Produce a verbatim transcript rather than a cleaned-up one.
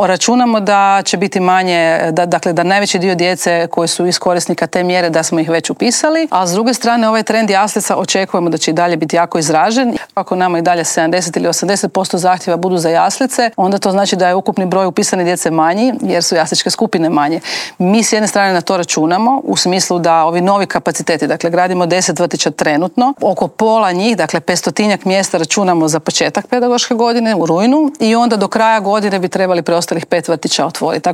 Računamo da će biti manje, da, dakle da najveći dio djece koji su iz korisnika te mjere da smo ih već upisali, a s druge strane ovaj trend jaslica očekujemo da će i dalje biti jako izražen. Ako nama i dalje sedamdeset ili osamdeset posto zahtjeva budu za jaslice, onda to znači da je ukupni broj upisane djece manji jer su jasličke skupine manje. Mi s jedne strane na to računamo u smislu da ovi novi kapaciteti, dakle gradimo deset vrtića trenutno, oko pola njih, dakle petstotinjak mjesta računamo za početak pedagoške godine u rujnu i onda do kraja godine bi trebali preostalih pet vrtića otvoriti.